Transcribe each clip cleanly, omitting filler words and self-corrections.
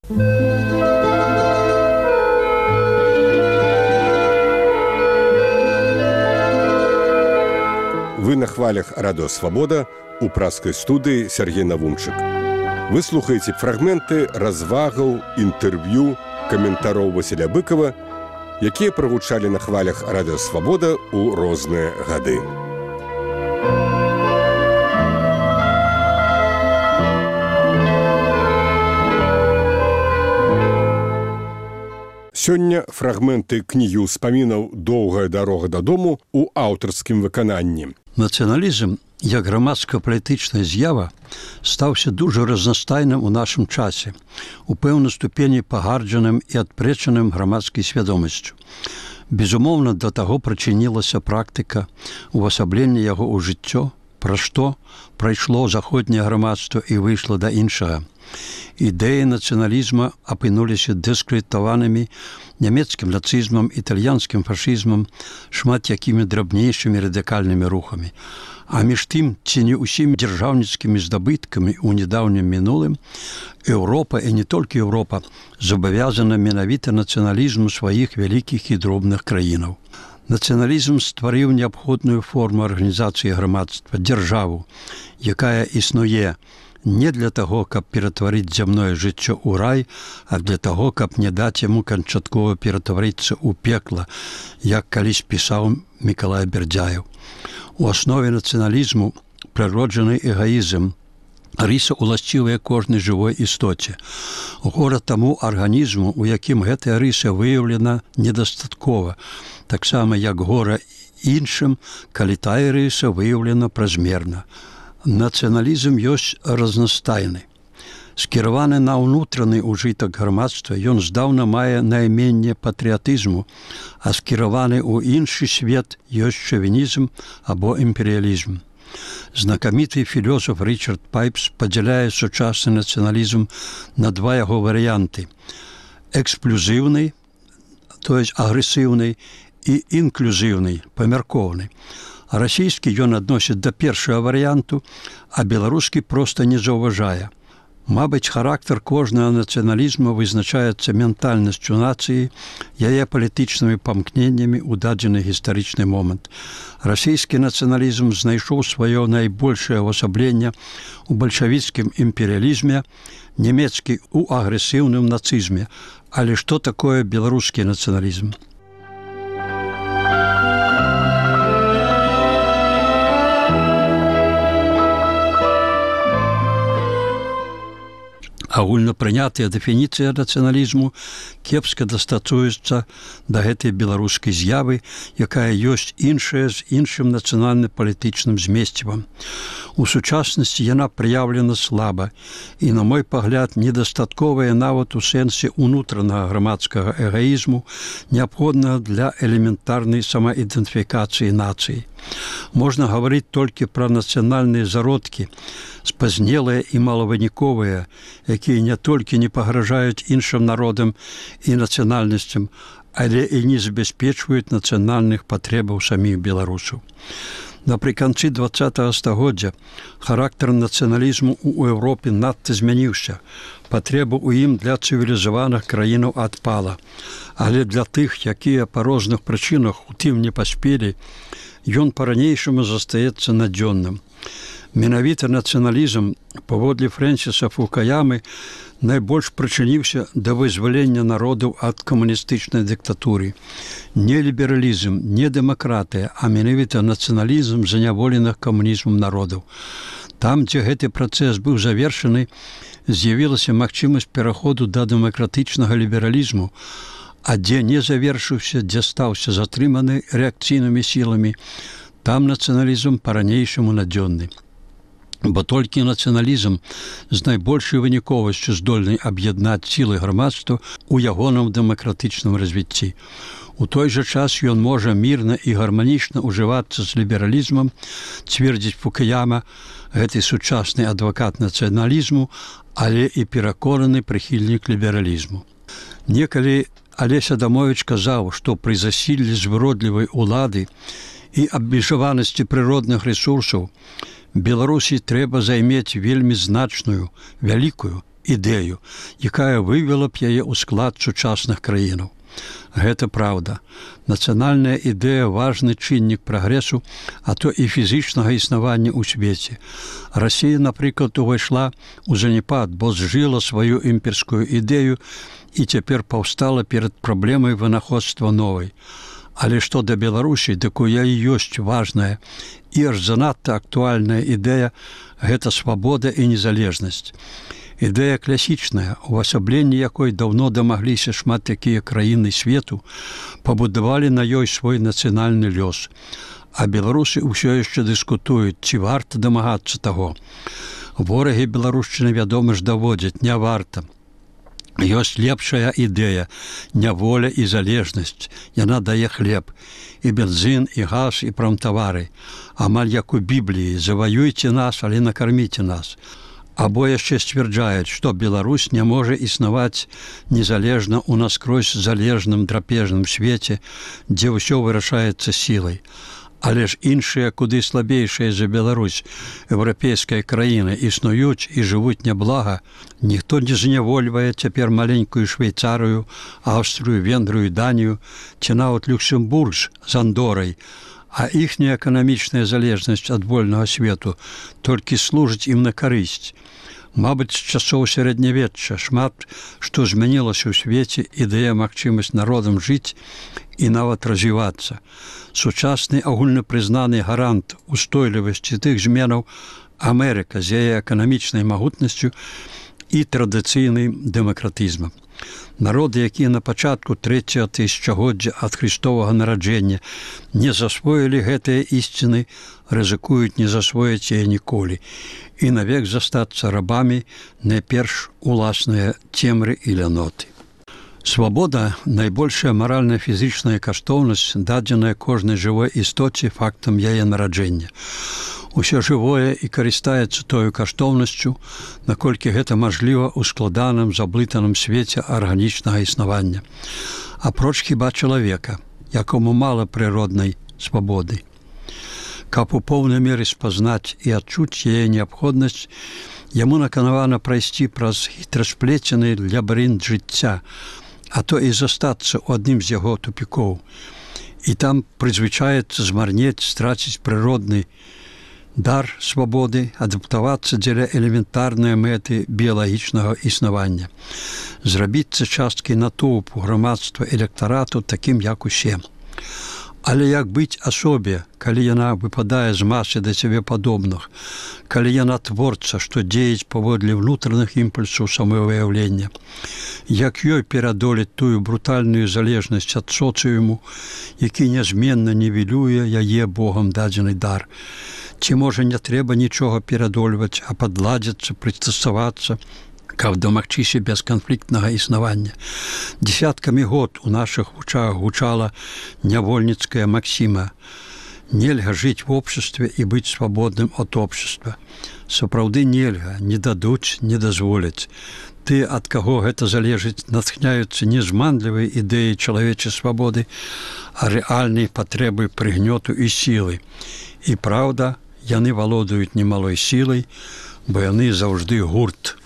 Вы на хвалях Радио Свобода у праскай студыі Сергей Навумчык. Вы слухаеце фрагменты развагаў, інтэрв'ю, каментароў Васіля Быкова, якія прагучалі на хвалях Радио Свобода ў розныя гады. Сёння фрагменты кнігі ўспамінаў «Доўгая дарога дадому» у аўтарскім выкананні. Нацыяналізм, як грамадска-палітычная з'ява, стаўся дужа разнастайным у нашым часе, у пэўнай ступені пагарджаным і адпрэчаным грамадскай свядомасцю. Безумоўна, да таго прычынілася практыка увасаблення яго ў жыццё, пра што прайшло заходняе грамадства і выйшла да іншага. Ідэі нацыяналізма апынуліся дыскрэдытаванымі нямецкім нацызмам, італьянскім фашызмам, шмат якімі драбнейшымі радыкальнымі рухамі. А між тым, ці не ўсімі дзяржаўніцкімі здабыткамі ў нядаўнім мінулым, Еўропа, і не толькі Еўропа, забавязана менавіта нацыяналізму сваіх вялікіх і дробных краінаў. Нацыяналізм стварыў неабходную форму арганізацыі грамадства, дзяржаву, якая існуе не для таго, каб ператварыць зямное жыццё ў рай, а для таго, каб не даць яму канчаткова ператварыцца ў пекла, як калісь пісаў Мікалай Бердзяеў. У аснове нацыяналізму прыроджаны эгаізм, рыса уласцівая кожнай жывой істоце. Гора таму арганізму, у якім гэтая рыса выяўлена недастаткова, таксама як гора іншым, калі тая рыса выяўлена празмерна. Нацыяналізм ёсць разнастайны. Скіраваны на ўнутраны ўжытак грамадства, ён здаўна мае найменне патрыятызму, а скіраваны ў іншы свет ёсць шавінізм або імперыялізм. Знакаміты філёзаф Річард Пайпс падзяляе сучасны нацыяналізм на два яго варыянты: эксплюзіўны, то есть агрэсіўны, і інклюзіўны, памяркоўны. Расійскі ён адносіць да першага варыянту, а беларускі проста не заўважае. Мабыць, характар кожнага нацыяналізму вызначаецца ментальнасцю нацыі, яе палітычнымі памкненнямі ў дадзены гістарычны момант. Расійскі нацыяналізм знайшоў сваё найбольшае ўвасабленне ў бальшавіцкім імперыялізме, нямецкі ў агрэсіўным нацызме. Але што такое беларускі нацыяналізм? Агульнапрынятая дэфініцыя нацыяналізму кепска дастасуецца да гэтай беларускай з'явы, якая ёсць іншая з іншым нацыянальна-палітычным змесцівам. У сучаснасці яна праяўлена слаба і, на мой пагляд, недастатковая нават у сэнсе ўнутранага грамадскага эгаізму, неабходнага для элементарнай самаідэнтыфікацыі нацыі. Можна гаварыць толькі пра нацыянальныя зародкі, спазнелыя і малавыніковыя, якія не толькі не пагражаюць іншым народам і нацыянальнасцям, але і не забяспечваюць нацыянальных патрэбаў саміх беларусаў. Напрыканцы 20-го стагоддзя характар нацыяналізму ў Еўропе надта змяніўся. Патрэба ў ім для цывілізаваных краінаў адпала. Але для тых, якія па розных прычынах у тым не паспелі, ён па-ранейшаму застаецца надзённым. Менавіта нацыяналізм, паводле Фрэнсіса Фукуямы, найбольш прычыніўся да вызвалення народаў ад камуністычнай дыктатуры. Не лібералізм, не дэмакратыя, а менавіта нацыяналізм заняволеных камунізмам народаў. Там, дзе гэты працэс быў завершаны, з'явілася магчымасць пераходу да дэмакратычнага лібералізму, а дзе не завершыўся, дзе стаўся затрыманы рэакцыйнымі сіламі, там нацыяналізм па-ранейшаму надзённы. Бо толькі нацыяналізм з найбольшай выніковасцю здольны аб'яднаць сілы грамадства ў ягоным дэмакратычным развіцці. У той жа час ён можа мірна і гарманічна ўжывацца з лібералізмам, цвердзіць Фукуяма, гэты сучасны адвакат нацыяналізму, але і пераконаны прыхільнік лібералізму. Некалі Алесь Адамовіч казаў, што пры засіллі звыродлівай улады і абмежаванасці прыродных рэсурсаў Беларусі трэба займець вельмі значную, вялікую ідэю, якая вывела б яе ў склад сучасных краінаў. Гэта праўда. Нацыянальная ідэя – важны чыннік прагрэсу, а то і фізічнага існавання ў свеце. Расія, напрыклад, увайшла ў заняпад, бо зжыла сваю імперскую ідэю і цяпер паўстала перад праблемай вынаходства новай. Але што да Беларусі, дык у яе ёсць важная і аж занадта актуальная ідэя – гэта свабода і незалежнасць. Ідэя класічная, увасабленні якой даўно дамагліся шмат якія краіны свету, пабудавалі на ёй свой нацыянальны лёс. А беларусы ўсё яшчэ дыскутуюць, ці варта дамагацца таго. Ворагі беларушчыны, вядома ж, даводзяць, не варта. Ёсць лепшая ідэя – няволя і залежнасць. Яна дае хлеб. І бензін, і газ, і прамтавары. Амаль як у Бібліі – заваюйце нас, але накарміце нас. Або яшчэ сцвярджаюць, што Беларусь не можа існаваць незалежна ў наскрозь залежным драпежным свеце, дзе ўсё вырашаецца сілай. Але ж іншыя, куды слабейшыя за Беларусь, еўрапейскія краіны існуюць і жывуць няблага. Ніхто не знявольвае цяпер маленькую Швейцарыю, Аўстрыю, Венгрыю, Данію, ці нават Люксембург з Андорай, а іхняя эканамічная залежнасць ад вольнага свету толькі служыць ім на карысць. Мабыць, з часоў сярэднявечча шмат што змянілася ў свеце і дае магчымасць народам жыць і нават развівацца. Сучасны агульнапрызнаны гарант устойлівасці тых зменаў Амерыка з яе эканамічнай магутнасцю і традыцыйным дэмакратызмам. Народы, якія на пачатку 3-го тысячагоддзя ад Христовага нараджэння не засвоілі гэтыя ісціны, рызыкуюць не засвоіць яе ніколі і навек застацца рабамі найперш уласныя цемры і ляноты. Свабода – найбольшая маральна-фізічная каштоўнасць, дадзеная кожнай жывой істоце фактам яе нараджэння. Усё жывое і карыстаецца тою каштоўнасцю, наколькі гэта мажліва ў складаным, заблытаным свеце арганічнага існавання. Апроч хіба чалавека, якому мала прыроднай свабоды. Каб у поўнай меры спазнаць і адчуць яе неабходнасць, яму наканавана прайсці праз хітрасплецены лабірынт жыцця, а то і застацца ў адным з яго тупікоў. І там прызвычаецца змарнець, страціць прыродны дар свабоды, адаптавацца дзеля элементарнай мэты біялагічнага існавання, зрабіцца часткай натоўпу грамадства электарату такім, як усе. Але як быць асобе, калі яна выпадае з масы да цябе падобных, калі яна творца, што дзеяць паводле внутраных імпульсаў самавыяўлення, як ёй перадолець тую брутальную залежнасць ад соцыуму, які нязменна нівелюе яе Богам дадзены дар. Ці, можа, не трэба нічога перадольваць, а падладзіцца, прыстасавацца, каб дамагчыся бесканфліктнага існавання. Дзесяткамі год у нашых вучах гучала нявольніцкая максіма: нельга жыць в обществе і быць свабодным ад общества. Сапраўды нельга, не дадуць, не дазволяць. Ты, ад каго гэта залежыць, натхняюцца не зманлівай ідэяй чалавечай свабоды, а рэальнай патрэбай прыгнёту і сілы. І праўда, яны валодаюць немалой сілай, бо яны заўжды гурт.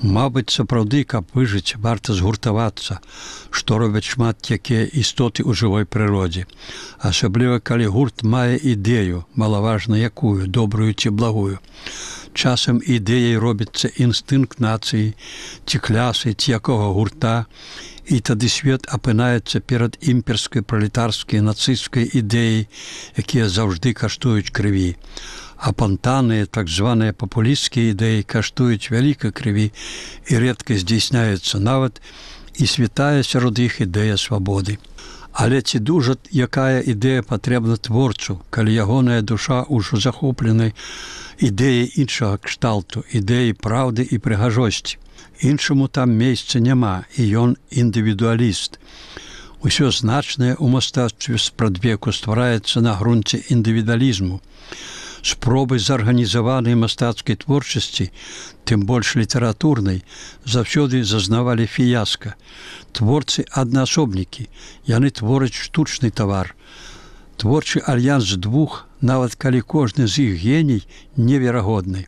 Мабыць, сапраўды, каб выжыць, варта згуртавацца, што робяць шмат якія істоты ў жывой прыродзе. Асабліва, калі гурт мае ідэю, малаважна якую, добрую ці благую. Часам ідэяй робіцца інстынкт нацыі, ці клясы, ці якога гурта, і тады свет апынаецца перад імперскай, пралетарскай, нацысцкай ідэяй, якія заўжды каштуюць крыві. Апантаныя, так званыя папулісцкія ідэі каштуюць вялікай крыві і рэдка здзейсняюцца нават і святая сярод іх ідэя свабоды. Але ці дужа якая ідэя патрэбна творцу, калі ягоная душа ўжо захопленай ідэяй іншага кшталту, ідэяй праўды і прыгажосці. Іншаму там месца няма, і ён індывідуаліст. Усё значнае ў мастацтве спрадвеку ствараецца на грунце індывідуалізму. Спробы зарганізаванай мастацкай творчасці, тым больш літаратурнай, заўсёды зазнавалі фіяска. Творцы аднаасобнікі, яны твораць штучны тавар. Творчы альянс двух, нават калі кожны з іх геній неверагодны,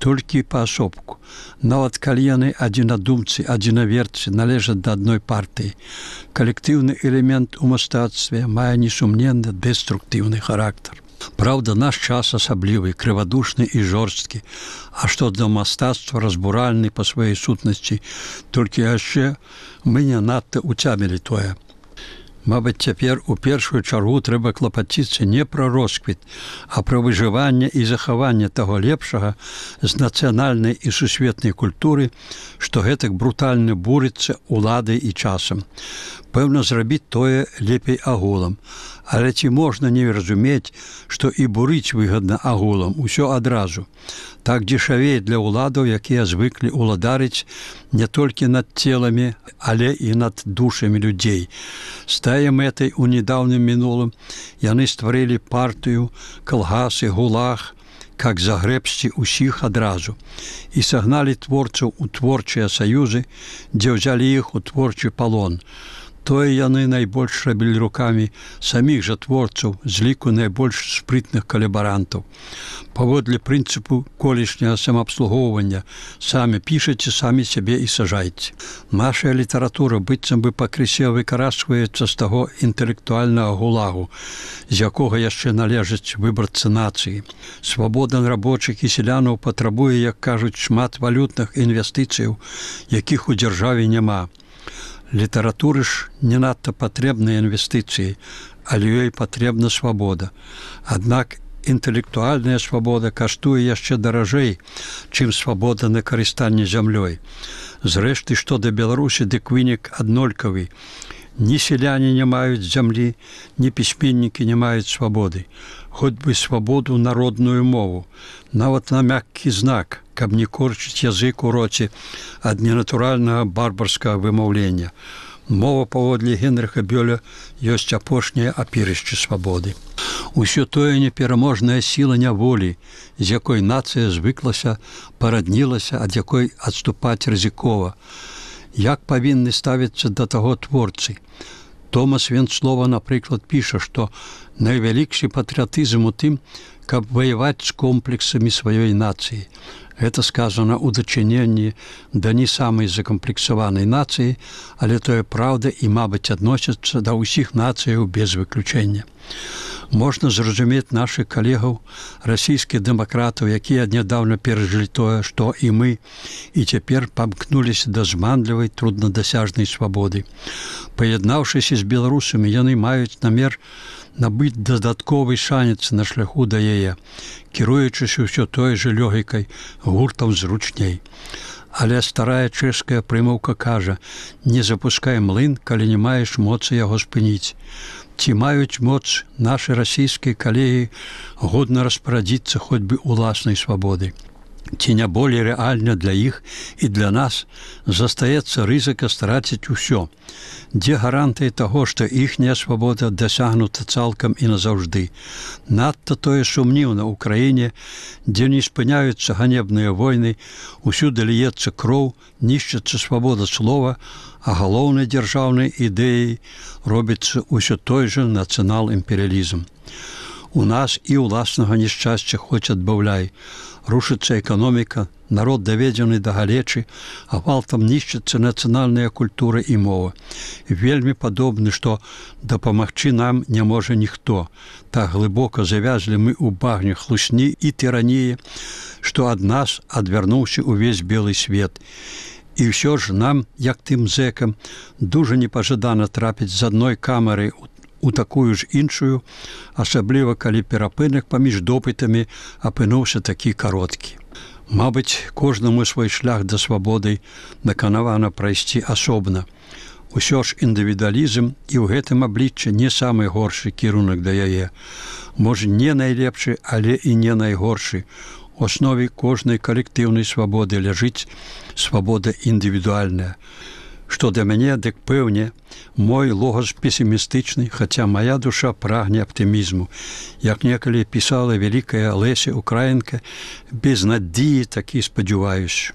толькі паасобку. Нават калі яны адзінадумцы, адзінаверцы належаць да адной партыі. Калектыўны элемент у мастацтве мае несумненна дэструктыўны характар. Праўда, наш час асаблівы, крывадушны і жорсткі, а што да мастацтва разбуральны па сваёй сутнасці, толькі яшчэ мы не надта уцямілі тое. Мабыць, цяпер у першую чаргу трэба клапаціцца не пра росквіт, а пра выжыванне і захаванне таго лепшага з нацыянальнай і сусветнай культуры, што гэтак брутальна бурыцца уладай і часам. Пэўна, зрабіць тое лепей агулам. Але ці можна не разумець, што і бурыць выгадна агулам, усё адразу. Так дзешавей для ўладаў, якія звыклі ўладарыць не толькі над целамі, але і над душамі людзей. З тае мэтай у недаўнім мінулым яны стварылі партыю, калгасы, гулаг, как загрэбсці ўсіх адразу, і сагналі творцаў у творчыя саюзы, дзе ўзялі іх у творчы палон. Тое яны найбольш рабілі рукамі саміх жа творцаў з ліку найбольш спрытных калабарантаў. Паводле прынцыпу колішняга самаабслугоўвання самі пішаце, самі сябе і сажайце. Нашая літаратура быццам бы пакрысе выкарачваецца з таго інтэлектуальнага гулагу, з якога яшчэ належаць выбарцы нацыі. Свабода рабочых і селянаў патрабуе, як кажуць, шмат валютных інвестыцыяў, якіх у дзяржаве няма. Літаратуры ж не надта патрэбныя інвестыцыі, але ёй патрэбна свабода. Аднак інтэлектуальная свабода каштуе яшчэ даражэй, чым свабода на карыстанне зямлёй. Зрэшты, што да Беларусі, дык вынік аднолькавы. Ні селяне не маюць зямлі, ні пісьменнікі не маюць свабоды. Хоць бы свабоду народную мову, нават на мяккі знак, каб не корчыць язык у роце ад ненатуральнага барбарскага вымаўлення. Мова, паводле Генрыха Бёля, ёсць апошняе апірышча свабоды. Усё тое непераможная сіла няволі, з якой нацыя звыклася, параднілася, ад якой адступаць рызыкова. Як павінны ставіцца да таго творцы? Томас Венцлова, напрыклад, піша, што найвялікшы патрыятызм у тым, каб ваяваць з комплексамі сваёй нацыі. Гэта сказана ў дачыненні да не самай закамплексаванай нацыі, але тое праўда і, мабыць, адносіцца да ўсіх нацыяў без выключэння. Можна зразумець нашых калегаў, расійскіх дэмакратаў, якія нядаўна перажылі тое, што і мы, і цяпер памкнуліся да зманлівай, труднадасяжнай свабоды. Паяднаўшыся з беларусамі, яны маюць намер набыць дадатковы шанец на шляху да яе, кіруючыся ўсё той жа лёгікай, гуртам зручней. Але старая чэшская прымаўка кажа: «Не запускай млын, калі не маеш моцы яго спыніць». Ці маюць моц нашы расійскія калегі годна распарадзіцца хоць бы уласнай свабоды? Ці не болей рэальна для іх і для нас застаецца рызыка страціць усё? Дзе гарантыі таго, што іхняя свабода дасягнута цалкам і назаўжды? Надта тое сумніўна ў краіне, дзе не спыняюцца ганебныя войны, усюды ліецца кроў, нішчыцца свабода слова, а галоўнай дзяржаўнай ідэяй робіцца ўсё той жа нацыянал-імперыялізм. У нас і ўласнага няшчасця хоць адбаўляй. Рушыцца эканоміка, народ даведзены да галечы, а гвалтам нішчыцца нацыянальная культура і мова. Вельмі падобны, што дапамагчы нам не можа ніхто. Так глыбока завязлі мы ў багне хлусні і тыраніі, што ад нас адвярнуўся ўвесь белы свет. І ўсё ж нам, як тым зэкам, дужа непажадана трапіць з адной камеры у такую ж іншую, асабліва калі перапынак паміж допытамі апынуўся такі кароткі. Мабыць, кожнаму свой шлях да свабоды наканавана прайсці асобна. Усё ж індывідуалізм і ў гэтым абліччы не самы горшы кірунак да яе. Можа, не найлепшы, але і не найгоршы. У аснове кожнай калектыўнай свабоды ляжыць свабода індывідуальная. Што да мяне, дык пэўне, мой логас песімістычны, хаця мая душа прагне аптымізму. Як некалі пісала вялікая Леся Украінка, без надзеі такі спадзяваюся.